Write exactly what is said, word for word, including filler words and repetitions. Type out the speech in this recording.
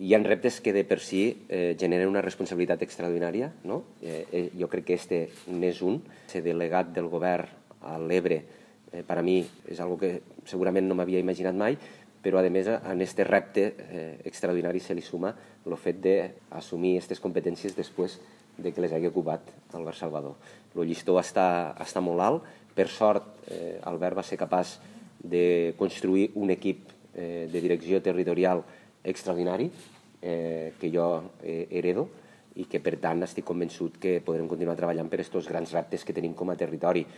hi ha reptes que de per si eh, generen una responsabilitat extraordinària, no? Eh, eh, jo crec que este n'és un. Ser delegat del govern a l'Ebre, eh, per a mi, és algo que segurament no m'havia imaginat mai, però a més a este repte eh, extraordinari se li suma el fet d'assumir aquestes competències després de que les hagi ocupat el Govern Salvador. El llistó està, està molt alt. Per sort, eh, Albert va ser capaç de construir un equip eh, de direcció territorial extraordinari eh, que jo eh, heredo i que, per tant, estic convençut que podrem continuar treballant per aquests grans reptes que tenim com a territori.